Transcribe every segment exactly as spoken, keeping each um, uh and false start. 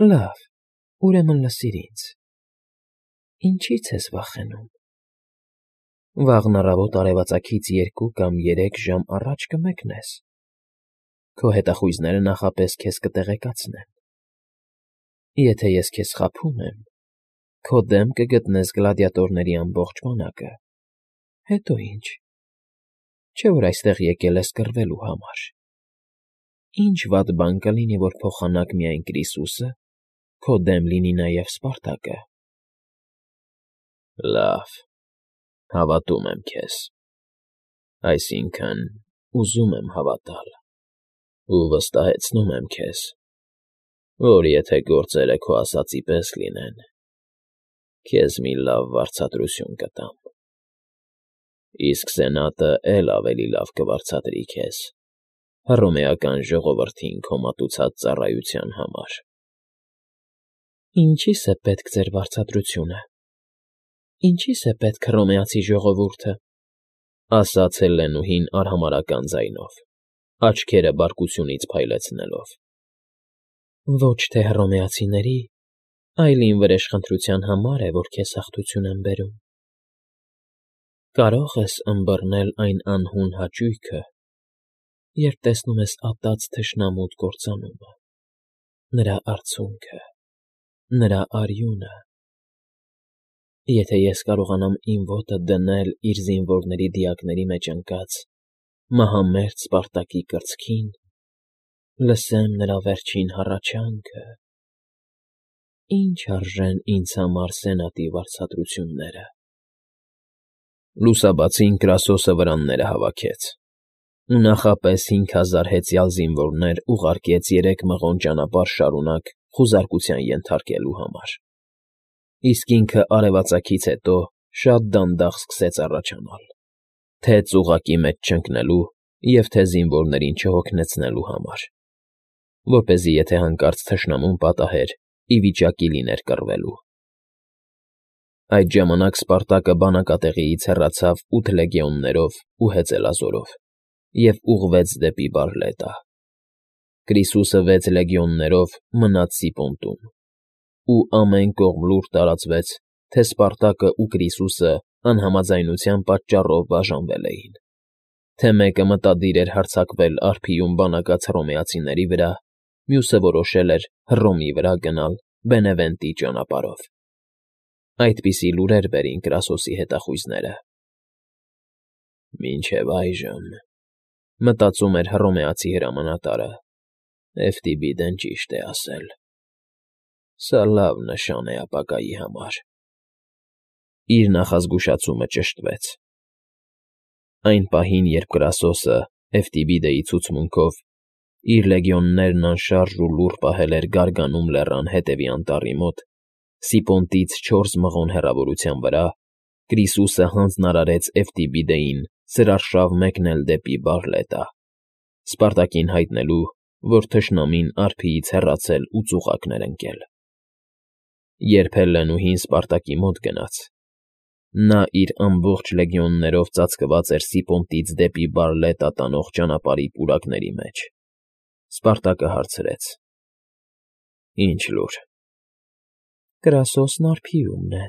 Լավ, ուրեմն լսիր ինձ. ինչի՞ց ես վախենում։ Վաղն առավոտ արևածագից երկու կամ երեք ժամ առաջ կմեկնես, քո հետախույզները նախապես քեզ կտեղեկացնեն. եթե ես քեզ խաբում եմ, քո դեմ կգտնես գլադիատորների ամբողջ բանակը, հետո ի՞նչ, չէ՞ որ այստեղ եկել ես կռվելու համար, ի՞նչ վատ բան կլինի, որ փոխանակ միայն Կրիսուսը, քո դեմ լինի նաև Սպարտակը։ Լավ, հավատում եմ քեզ, այսինքն՝ ուզում եմ հավատալ, ու վստահեցնում եմ քեզ, որ եթե գործերը քո ասածի պես լինեն, քեզ մի լավ վարձատրություն կտամ, իսկ Սենատը էլ ավելի լավ կվարձատրի քեզ Հռոմեական ժողովրդին քո մատուցած ծառայության համար։ Ինչի՞ս է պետք ձեր վարձատրությունը, ինչի՞ս է պետք հռոմեացի ժողովուրդը, ասաց Հելլենուհին արհամարհական ձայնով, աչքերը բարկությունից փայլեցնելով։ Ոչ թե հռոմեացիների, այլ իմ վրեժխնդրության համար է, որ քեզ հաղթություն եմ բերում։ Կարո՞ղ ես ըմբռնել այն անհուն հաճույքը, երբ տեսնում ես ատած թշնամուդ կործանումը, նրա արցունքը, նրա արյունը։ Եթե ես կարողանամ իմ ոտը դնել իր զինվորների դիակների մեջ ընկած մահամերձ Սպարտակի կրծքին, լսեմ նրա վերջին հառաչանքը, ի՞նչ արժեն ինձ համար Սենատի վարձատրությունները։ Լուսաբացին Կրասոսը վրանները հավաքեց ու նախապես հինգ հազար հեծյալ զինվորներ ուղարկեց երեք մղոն ճանապարհ շարունակ խուզարկության ենթարկելու համար, իսկ ինքը արևածագից հետո շատ դանդաղ սկսեց առաջանալ, թե ծուղակի մեջ չընկնելու և թե զինվորներին չհոգնեցնելու համար, որպեսզի եթե հանկարծ թշնամուն պատահեր, ի վիճակի լիներ կռվելու։ Այդ ժամանակ Սպարտակը բանակատեղիից հեռացավ ութ լեգիոններով ու հեծելազորով և ուղղվեց դեպի Բարլետա։ Կրիսուսը վեց լեգիոններով մնաց Սիպոնտում, ու ամեն կողմ լուր տարածվեց, թե Սպարտակը ու Կրիսուսը անհամաձայնության պատճառով բաժանվել էին, թե մեկը մտադիր էր հարձակվել արբիում բանակած հռոմեացիների վրա, մյուսը որոշել էր Հռոմի վրա գնալ Բենևենտի ճանապարհով։ Այդպիսի լուրեր բերին Կրասոսի հետախույզները։ Մինչև այժմ, մտածում էր հռոմեացի հրամանատարը, Էվտիբիդեն ճիշտ է ասել. սա լավ նշան է ապագայի համար։ Իր նախազգուշացումը ճշտվեց։ Այն պահին, երբ Կրասոսը Էվտիբիդեի ցուցմունքով իր լեգիոններն անշարժ ու լուռ պահել էր Գարգանում լեռան հետևի անտառի մոտ, Սիպոնտից չորս մղոն հեռավորության վրա, Կրիսուսը հանձնարարեց Էվտիբիդեին սրարշավ մեկնել դեպի Բարլետա, Սպարտակին հայտնելու, որ թշնամին արբիից հեռացել ու ծուղակներ ընկել։ Երբ Հելլենուհին Սպարտակի մոտ գնաց, նա իր ամբողջ լեգիոններով ծածկված էր Սիպոնտից դեպի Բարլետա տանող ճանապարհի պուրակների մեջ։ Սպարտակը հարցրեց. Ինչ լուր։ Կրասոսն արբիումն է։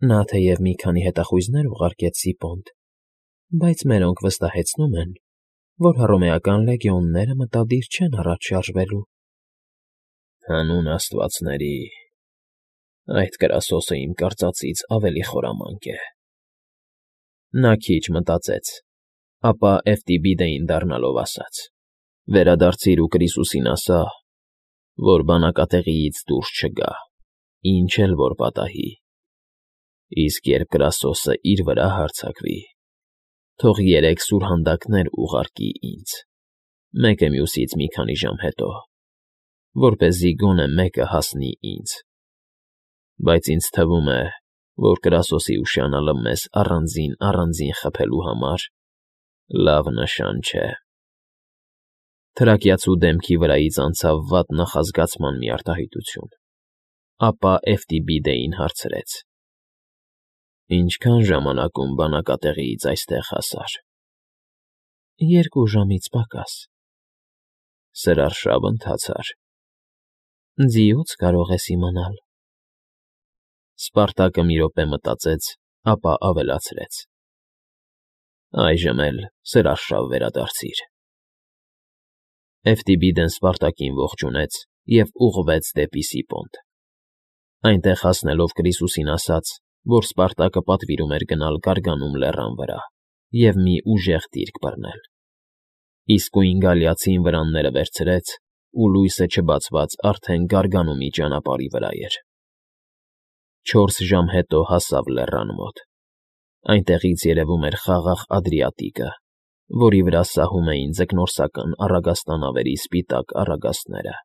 Նա թեև մի քանի հետախույզներ ուղարկեց Սիպոնտ, բայց մերոնք վստահեցնում են, որ հռոմեական լեգիոնները մտադիր չեն առաջ շարժվելու։ Հանուն աստվածների, այդ Կրասոսը իմ կարծածից ավելի խորամանկ է։ Նա քիչ մտածեց, ապա Էվտիբիդեին դառնալով ասաց. վերադարձիր ու Կրիսուսին ասա, որ բանակատեղիից դուրս չգա, ինչ էլ որ պատահի, իսկ երբ Կրասոսը իր վրա հարձակվի, թող երեք սուրհանդակներ ուղարկի ինձ, մեկը մյուսից մի քանի ժամ հետո, որպեսզի գոնե մեկը հասնի ինձ, բայց ինձ թվում է, որ Կրասոսի ուշանալը մեզ առանձին֊առանձին խաբելու համար լավ նշան չէ։ Թրակիացու դեմքի վրայից անցավ վատ նախազգացման մի արտահայտություն, ապա Էվտիբիդեին հարցրեց. Ինչքան ժամանակում բանակատեղիից այստեղ հասար։ Երկու ժամից պակաս։ Սրարշավ ընթացար։ Ձիուց կարող ես իմանալ։ Սպարտակը մի րոպե մտածեց, ապա ավելացրեց. Այժմ էլ սրաշավ վերադարձիր։ Էֆտիբիդն Սպարտակին ողջունեց և ուղղվեց դեպի Սիպոնդ։ Այնտեղ հասնելով Կրիսուսին ասաց, որ Սպարտակը պատվիրում էր գնալ Գարգանում լեռան վրա և մի ուժեղ դիրք բռնել։ Իսկույն գալիացին վրանները վերցրեց, ու լույսը չբացված արդեն Գարգանումի ճանապարհի վրա էր։ Չորս ժամ հետո հասավ լեռան մոտ։ Այնտեղից երևում էր խաղաղ Ադրիատիկը, որի վրա սահում էին ձկնորսական առագաստանավերի սպիտակ առագաստները։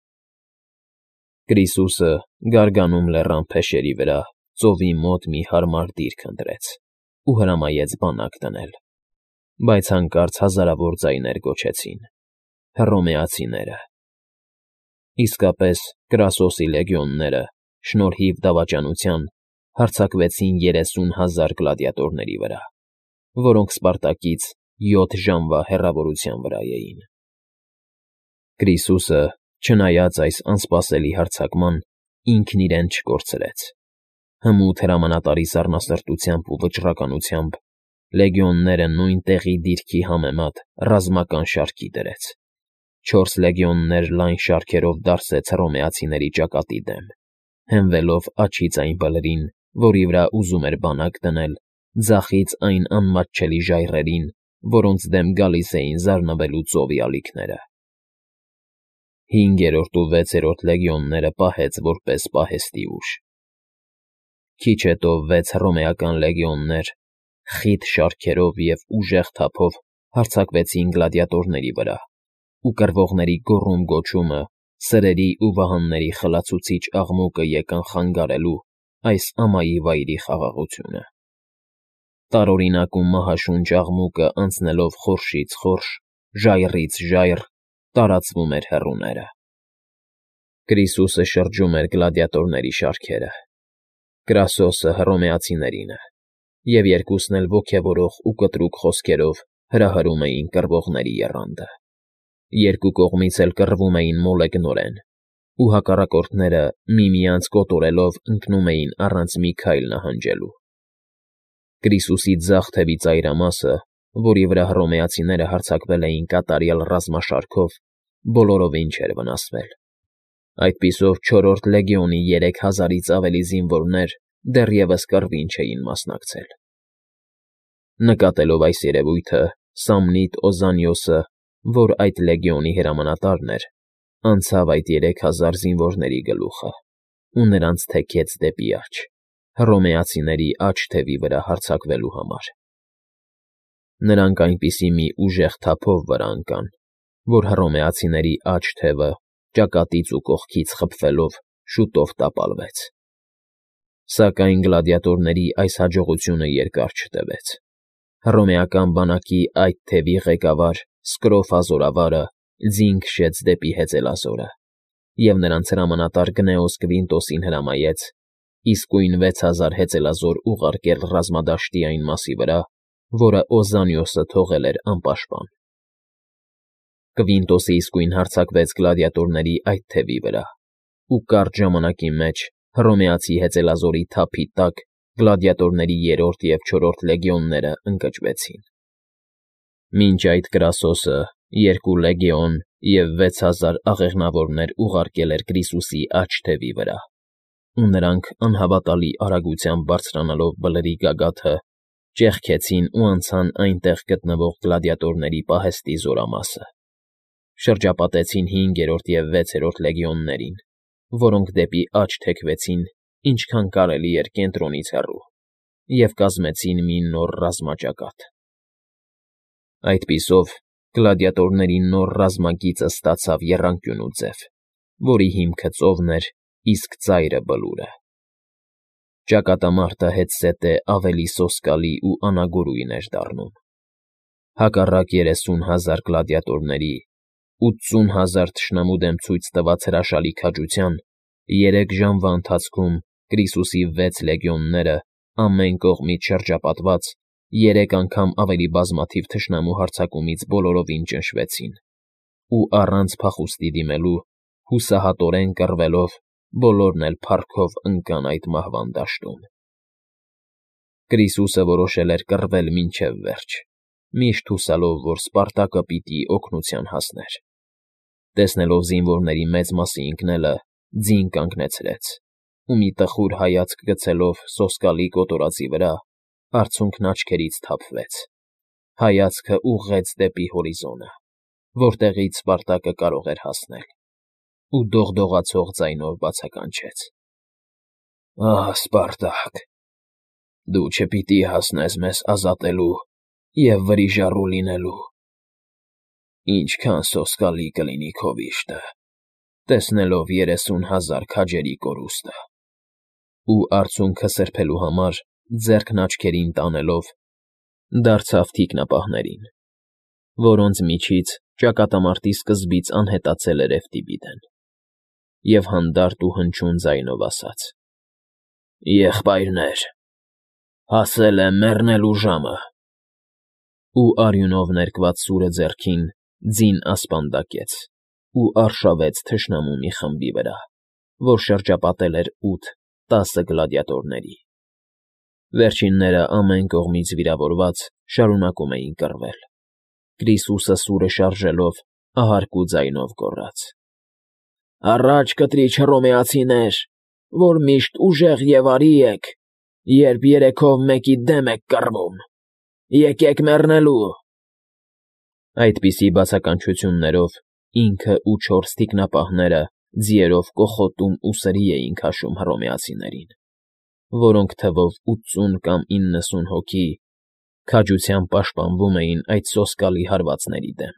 Կրիսուսը Գարգանում լեռան փեշերի վրա ծովի մոտ մի հարմար դիրք ընտրեց ու հրամայեց բանակ դնել, բայց հանկարծ հազարավոր ձայներ գոչեցին. «Հռոմեացիները»։ Իսկապես Կրասոսի լեգիոնները, շնորհիվ դավաճանության, հարձակվեցին երեսուն հազար գլադիատորների վրա, որոնք Սպարտակից յոթ ժամվա հեռավորության վրա էին։ Կրիսուսը, չնայած այս անսպասելի հարձակման, ինքն իրեն չկորցրեց։ Հմուտ հրամանատարի սառնասրտությամբ ու վճռականությամբ լեգիոնները նույն տեղի դիրքի համեմատ ռազմական շարքի դրեց։ Չորս լեգիոններ լայն շարքերով դարսեց հռոմեացիների ճակատի դեմ, հենվելով աջից այն բլրին, որի վրա ուզում էր բանակ դնել, ձախից այն անմատչելի ժայռերին, որոնց դեմ գալիս էին զարնվելու ծովի ալիքները։ Հինգերորդ ու վեցերորդ լեգիոնները պահեց որպես պահեստի ուժ։ Քիչ հետո վեց հռոմեական լեգիոններ խիտ շարքերով և ուժեղ թափով հարձակվեցին գլադիատորների վրա, ու կռվողների գոռում֊գոչումը, սրերի ու վահանների խլացուցիչ աղմուկը եկան խանգարելու այս ամայի վայրի խաղաղությունը։ Տարօրինակ ու մահաշունչ աղմուկը անցնելով խորշից խորշ, ժայռից ժայռ, տարածվում էր հեռուները։ Կրիսուսը շրջում էր գլադիատորների շարքերը։ Կրասոսը հռոմեացիներինը, և երկուսն էլ ոգևորող ու կտրուկ խոսքերով հրահրում էին կռվողների եռանդը։ Երկու կողմից էլ կռվում էին մոլեգնորեն, ու հակառակորդները միմյանց կոտորելով ընկնում էին առանց մի քայլ նահանջելու։ Կրիսուսի ձախ թևի ծայրամասը, որի վրա հռոմեացիները հարձակվել էին կատարյալ ռազմաշարքով, բոլորովին չէր վնասվել։ Այդպիսով չորրորդ լեգիոնի երեք հազարից ավելի զինվորներ դեռևս կռվին չէին մասնակցել։ Նկատելով այս երևույթը, Սամնիտ Օզանիոսը, որ այդ լեգիոնի հրամանատարն էր, անցավ այդ երեք հազար զինվորների գլուխը ու նրանց թեքեց դեպի աջ, հռոմեացիների աջ թևի վրա հարձակվելու համար։ Նրանք այնպիսի մի ուժեղ թափով վրա ընկան, որ հռոմեացիների աջ թևը, ճակատից ու կողքից խփվելով, շուտով տապալվեց։ Սակայն գլադիատորների այս հաջողությունը երկար չտևեց։ Հռոմեական բանակի այդ թևի ղեկավար Սկրոֆա զորավարը ձին քշեց դեպի հեծելազորը, և նրանց հրամանատար Գնեոս Կվինտոսին հրամայեց իսկույն վեց հազար հեծելազոր ուղարկել ռազմադաշտի այն մասի վրա, որը Օզանիոսը թողել էր անպաշտպան։ Կվինտոսը իսկույն հարձակվեց գլադիատորների այդ թևի վրա, ու կարճ ժամանակի մեջ հռոմեացի հեծելազորի թափի տակ գլադիատորների երրորդ և չորրորդ լեգիոնները ընկճվեցին։ Մինչ այդ Կրասոսը երկու լեգիոն և վեց հազար աղեղնավորներ ուղարկել էր Կրիսուսի աջ թևի վրա, ու նրանք անհավատալի արագությամբ բարձրանալով բլրի գագաթը, ճեղքեցին ու անցան այնտեղ գտնվող գլադիատորների պահեստի զորամասը, շրջապատեցին հինգերորդ և վեցերորդ լեգիոններին, որոնք դեպի աջ թեքվեցին ինչքան կարելի էր կենտրոնից հեռու, և կազմեցին մի նոր ռազմաճակատ։ Այդպիսով գլադիատորների նոր ռազմագիծը ստացավ եռանկյունու ձև, որի հիմքը ծովն էր, իսկ ծայրը բլուրը։ Ճակատամարտը հետզհետե ավելի սոսկալի ու անագորույն էր դառնում։ Հակառակ երեսուն հազար գլադիատորների, ութսուն հազար թշնամու դեմ ցույց տված հրաշալի քաջության, երեք ժամվա ընթացքում Կրիսուսի վեց լեգիոնները, ամեն կողմից շրջապատված, երեք անգամ ավելի բազմաթիվ թշնամու հարձակումից բոլորովին ճնշվեցին ու, առանց փախուստի դիմելու, Հուսահատորեն կռվելով, բոլորն էլ փառքով ընկան այդ մահվան դաշտում։ Կրիսուսը որոշել էր կռվել մինչև վերջ, միշտ հուսալով, որ Սպարտակը պիտի օգնության հասներ։ Տեսնելով զինվորների մեծ մասի ընկնելը, ձին կանգնեցրեց ու մի տխուր հայացք գցելով սոսկալի կոտորածի վրա, արցունքն աչքերից թափվեց, հայացքը ուղղեց դեպի հորիզոնը, որտեղից Սպարտակը կարող էր հասնել, ու դողդողացող ձայնով բացականչեց. «Ահ, Սպարտակ, դու չպիտի հասնես մեզ ազատելու և վրիժառու լինելու… Ինչքան սոսկալի կլինի քո վիշտը, տեսնելով երեսուն հազար քաջերի կորուստը…» Ու արցունքը սրբելու համար, ձեռքն աչքերին տանելով, դարձավ թիկնապահներին, որոնց միջից ճակատամարտի սկզբից անհետացել էր Էվտիբիդեն, և հանդարտ ու հնչյուն ձայնով ասաց. «Եղբայրներ, հասել է մեռնելու ժամը»։ Ու արյունով ներկված սուրը ձեռքին ձին ասպանդակեց ու արշավեց թշնամու մի խմբի վրա, որ շրջապատել էր ութ֊տասը գլադիատորների։ Վերջինները, ամեն կողմից վիրավորված, շարունակում էին կռվել։ Կրիսուսը սուրը շարժելով ահարկու ձայնով գոռաց. «Առաջ, կտրիչ Հռոմեացիներ, որ միշտ ուժեղ և արի եք, երբ երեքով մեկի դեմ եք կռվում… Եկեք մեռնելու»։ Այդպիսի բացականչություններով ինքն ու չորս թիկնապահները ձիերով կոխոտում ու սրի էին քաշում հռոմեացիներին, որոնք թվով ութսուն կամ իննսուն հոգի քաջությամբ պաշտպանվում էին այդ սոսկալի հարվածների դեմ։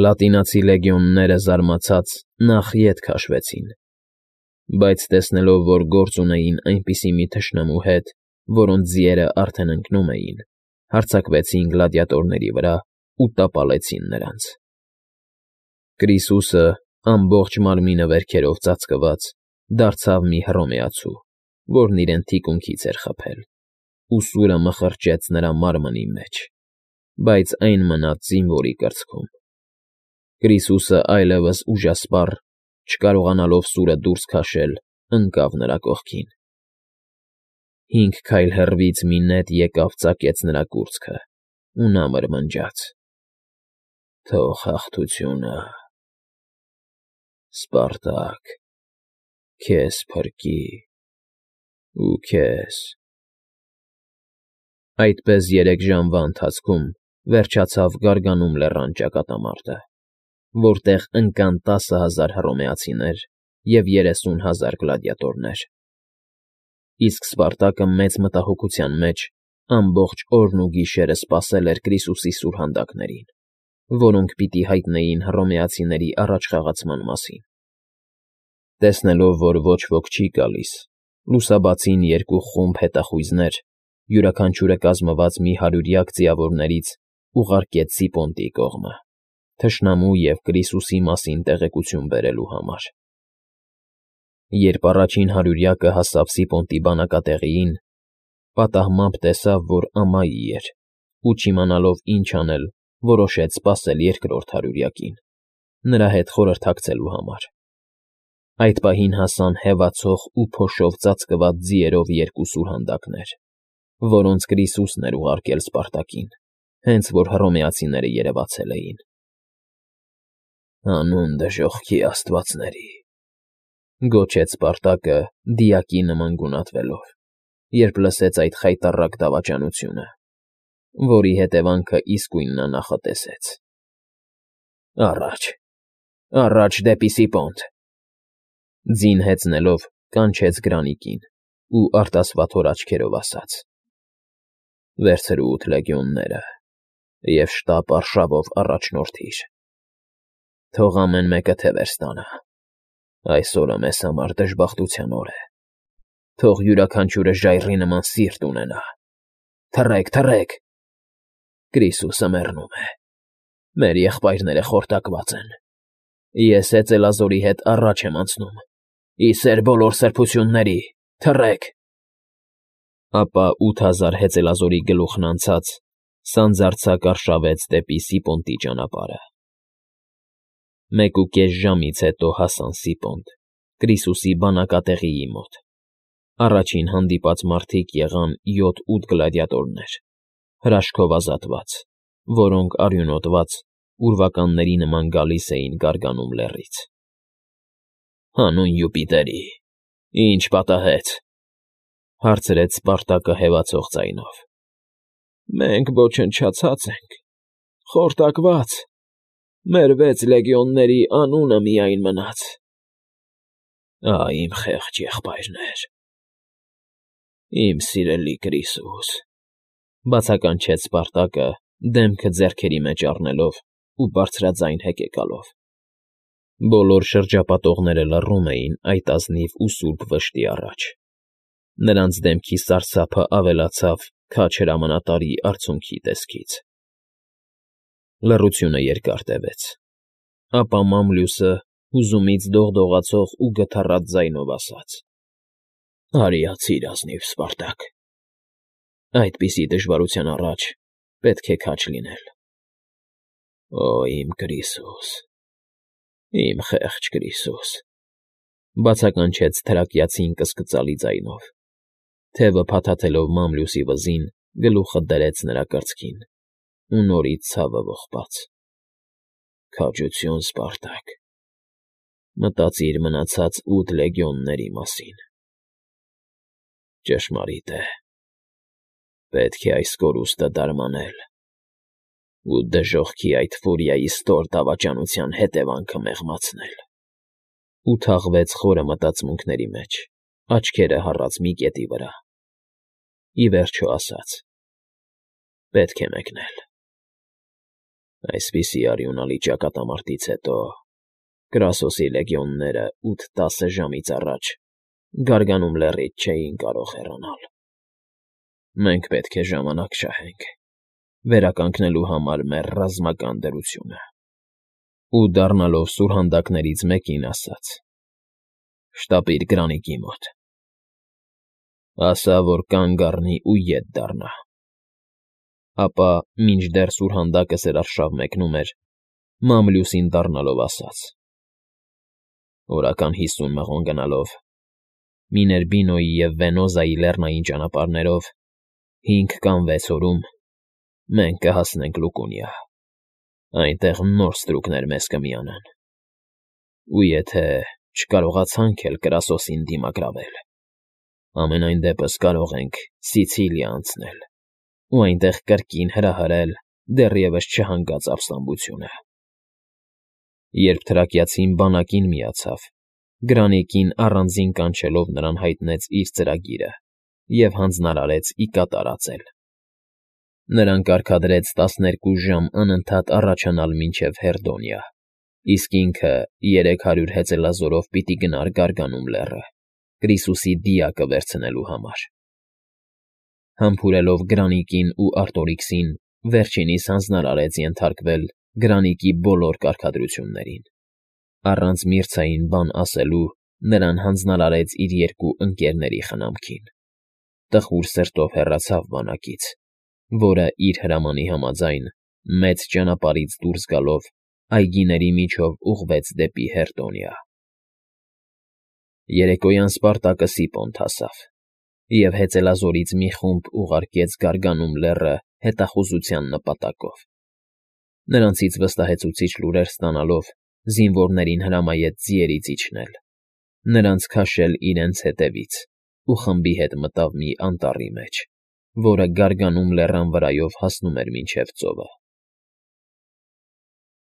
Լատինացի լեգիոնները զարմացած նախ ետ քաշվեցին, բայց տեսնելով, որ գործ ունեին այնպիսի մի թշնամու հետ, որոնց ձիերը արդեն ընկնում էին, հարձակվեցին գլադիատորների վրա ու տապալեցին նրանց։ Կրիսուսը, ամբողջ մարմինը վերքերով ծածկված, դարձավ մի հռոմեացու, որն իրեն թիկունքից էր խփել, ու սուրը մխրճեց նրա մարմնի մեջ, բայց այն մնաց զինվորի կրծքում։ Կրիսուսը այլևս ուժասպառ, չկարողանալով սուրը դուրս քաշել, ընկավ նրա կողքին։ Հինգ քայլ հեռվից մի նետ եկավ ծակեց նրա կուրծքը, ու նա մրմնջաց. «Թող հաղթությունը, Սպարտակ, քեզ փրկի ու քեզ»։ Այդպես երեք ժամվա ընթացքում վերջացավ Գարգանում լեռան ճակատամարտը, որտեղ ընկան տասը հազար հռոմեացիներ և երեսուն հազար գլադիատորներ։ Իսկ Սպարտակը մեծ մտահոգության մեջ ամբողջ օրն ու գիշերը սպասել էր Կրիսուսի սուրհանդակներին, որոնք պիտի հայտնեին հռոմեացիների առաջխաղացման մասին։ Տեսնելով, որ ոչ ոք չի գալիս, լուսաբացին երկու խումբ հետախույզներ, յուրաքանչյուրը կազմված մի հարյուրյակ ձիավորներից, ուղարկեց Սիպոնտի կողմը, թշնամու և Կրիսուսի մասին տեղեկություն բերելու համար։ Երբ առաջին հարյուրյակը հասավ Սիպոնտի բանակատեղիին, պատահմամբ տեսավ, որ ամայի էր, ու չիմանալով ինչ անել, որոշեց սպասել երկրորդ հարյուրյակին, նրա հետ խորհրդակցելու համար։ Այդ պահին հասան հևացող ու փոշով ծածկված ձիերով երկու սուրհանդակներ, որոնց Կրիսուսն էր ուղարկել Սպարտակին, հենց որ հռոմեացիները երևացել էին։ «Հանուն դժոխքի աստվածների», գոչեց Սպարտակը դիակի նման գունատվելով, երբ լսեց այդ խայտառակ դավաճանությունը, որի հետևանքը իսկույն նա նախատեսեց։ «Առաջ, առաջ դեպի Սիպոնտ»։ Ձին հեծնելով կանչեց Գրանիկին ու արտասվաթոր աչքերով ասաց. «Վերցրու ութ լեգիոնները և շտապ արշավով առաջնորդիր. թող ամեն մեկը թևեր ստանա։ Այս օրը մեզ համար դժբախտության օր է. թող յուրաքանչյուրը ժայռի նման սիրտ ունենա։ Թռեք, թռեք… Կրիսուսը մեռնում է, մեր եղբայրները խորտակված են։ Ես հեծելազորի հետ առաջ եմ անցնում, ի սեր բոլոր սրբությունների, թռեք»։ Ապա ութ հազար հեծելազորի գլուխն անցած սանձարձակ արշավեց դեպի Սիպոնտի ճանապարհը։ Մեկուկես ժամից հետո հասան Սիպոնդ, Կրիսուսի բանակատեղիի մոտ. առաջին հանդիպած մարդիկ եղան յոթ֊ութ գլադիատորներ, հրաշքով ազատված, որոնք արյունոտված ուրվականների նման գալիս էին Գարգանում լեռից։ «Հանուն Յուպիտերի, ի՞նչ պատահեց,֊ հարցրեց Սպարտակը հևացող ձայնով։ ֊ Մենք ոչնչացած ենք, խորտակված, մեր վեց լեգիոնների անունը միայն մնաց։ ֊ Ա՜, իմ խեղճ եղբայրներ… Իմ սիրելի Կրիսուս,֊ բացականչեց Սպարտակը, դեմքը ձեռքերի մեջ առնելով ու բարձրաձայն հեկեկալով։ Բոլոր շրջապատողները լռում էին այդ ազնիվ ու սուրբ վշտի առաջ։ Նրանց դեմքի սարսափն ավելացավ քաջ հրամանատարի արցունքի տեսքից։ Լռությունը երկար տևեց, ապա Մամլյուսը հուզումից դողդողացող ու գթառատ ձայնով ասաց. «Արիացի՛ր, ազնիվ Սպարտակ, այդպիսի դժվարության առաջ պետք է քաջ լինել։ Օ, իմ Կրիսուս, իմ խեղճ Կրիսուս…֊ բացականչեց թրակյացին կսկծալի ձայնով, թևը փաթաթելով Մամլյուսի վզին, գլուխը դրեց նրա կրծքին ու նորից ցավը ողբաց։ Քաջություն, Սպարտակ, մտածիր մնացած ութ լեգիոնների մասին։ Ճշմարիտ է, պետք է այս կորուստը դարմանել ու դժոխքի այդ ֆուրիայի ստոր դավաճանության հետևանքը մեղմացնել։ Ու թաղվեց խորը մտածմունքների մեջ, աչքերը հառած մի կետի վրա։ Ի վերջո ասաց. «Պետք է մեկնել»։ Այսպիսի արյունալի ճակատամարտից հետո Կրասոսի լեգիոնները ութ֊տասը ժամից առաջ Գարգանում լեռից չէին կարող հեռանալ։ Մենք պետք է ժամանակ շահենք՝ վերականգնելու համար մեր ռազմական դրությունը։ Ու դառնալով սուրհանդակներից մեկին ասաց. «Շտապիր Գրանիկի մոտ, ասա, որ կանգ առնի ու ետ դառնա»։ Ապա, մինչդեռ սուրհանդակը սրարշավ մեկնում էր, Մամլյուսին դառնալով ասաց. «Օրական հիսուն մղոն գնալով, Միներբինոյի և Վենոզայի լեռնային ճանապարհներով, հինգ կամ վեց օրում մենք կհասնենք Լուկունիա, այնտեղ նոր ստրուկներ մեզ կմիանան։ Ու եթե չկարողացանք էլ Կրասոսին դիմակրավել, համենայն դեպս կարող ենք Սիցիլիա անցնել ու այնտեղ կրկին հրահրել դեռևս չհանգած ապստամբությունը»։ Երբ թրակյացին բանակին միացավ, Գրանիկին առանձին կանչելով նրան հայտնեց իր ծրագիրը և հանձնարարեց ի կատար ածել։ Նրան կարգադրեց տասներկու ժամ անընդհատ առաջանալ մինչև Հերդոնիա, իսկ ինքը երեք հարյուր հեծելազորով պիտի գնար Գարգանում լեռը՝ Կրիսուսի դիակը վերցնելու համար։ Համբուրելով Գրանիկին ու Արտորիքսին, վերջինիս հանձնարարեց ենթարկվել Գրանիկի բոլոր կարգադրություններին։ Առանց Միրցային բան ասելու նրան հանձնարարեց իր երկու ընկերների խնամքին։ Տխուր սրտով հեռացավ բանակից, որը, իր հրամանի համաձայն, մեծ ճանապարհից դուրս գալով, այգիների միջով ուղղվեց դեպի Հերդոնիա։ Երեկոյան Սպարտակը Սիպոնդ հասավ և հեծելազորից մի խումբ ուղարկեց Գարգանում լեռը հետախուզության նպատակով։ Նրանցից վստահեցուցիչ լուրեր ստանալով, զինվորներին հրամայեց ձիերից իջնել, նրանց քաշել իրենց հետևից ու խմբի հետ մտավ մի անտառի մեջ, որը Գարգանում լեռան վրայով հասնում էր մինչև ծովը։